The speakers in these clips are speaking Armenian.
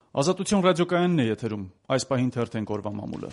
Ազատություն ռադիոկայանն է եթերում, այս պահին թերթենք օրվա մամուլը։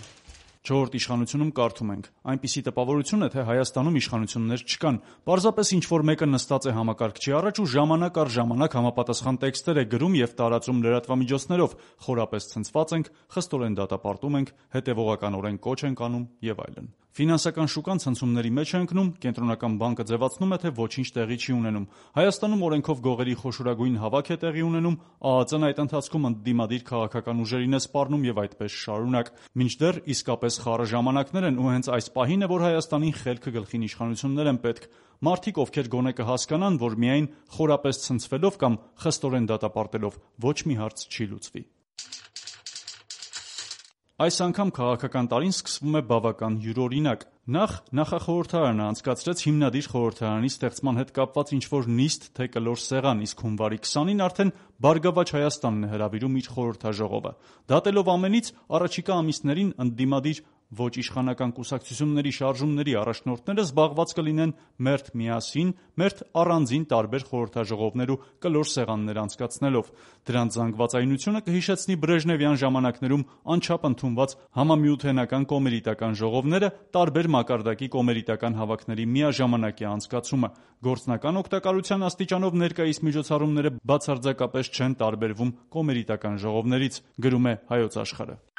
Չորրորդ իշխանությունում կարդում ենք. այնպիսի տպավորություն է, թե Հայաստանում իշխանություններ չկան, պարզապես ինչ-որ մեկը նստած է համակարգչի առաջ ու ժամանակ առ ժամանակ համապատասխան տեքստեր է գրում եւ տարածում լրատվամիջոցներով, խորապես ցնցված ենք, խստորեն դատապարտում ենք, հետեւողականորեն կոչ ենք անում եւ այլն։ Ֆինանսական շուկան ցնցումների մեջ է ընկնում, կենտրոնական բանկը ձևացնում է, թե ոչինչ տեղի չի ունենում։ Հայաստանում օրենքով գողերի խոշորագույն հավաք է տեղի ունենում, ԱԱԾ-ն այդ ընթացքում ընդդիմադիր քաղաքական ուժերին է սպառնում եւ այդպես շարունակ։ Մինչդեռ իսկապես խառը ժամանակներ են ու հենց այս պահին է, որ Հայաստանին խելքը գլխին իշխանություններ են պետք։ Մարդիկ, ովքեր գոնե կհասկանան, որ միայն խորապես ցնցվելով կամ խստորեն դատապարտելով ոչ մի հարց չի լուծվի։ Այս անգամ քաղաքական տարին սկսվում է բավական յուրօրինակ։ Նախ նախախորհրդարանը անցկացրեց հիմնադիր խորհրդարանի ստեղծման հետ կապված ինչ-որ նիստ, թե կլոր սեղան, իսկ հունվարի 20-ին արդեն Բարգավաճ Հայաստանն է հրավիրում իր խորհրդաժողովը։ Դատելով ամենից, առաջիկա ամիսներին ընդդիմադիր ոչ իշխանական կուսակցությունների շարժումների առաջնորդները զբաղված կլինեն մերթ միասին, մերթ առանձին տարբեր խորհրդաժողովներ ու կլոր սեղաններ անցկացնելով։ Դրանց զանգվածայնությունը կհիշեցնի բրեժնևյան ժամանակներում անչափ ընդունված համամիութենական կոմերիտական ժողովները, տարբեր մակարդակի կոմերիտական հավաքների միաժամանակյա անցկացումը։ Գործնական օգտակարության աստիճանով ներկայիս միջոցառումները բացարձակապես չեն տարբերվում կոմերիտական ժողովներից, գրում է Հայոց Աշխարհը։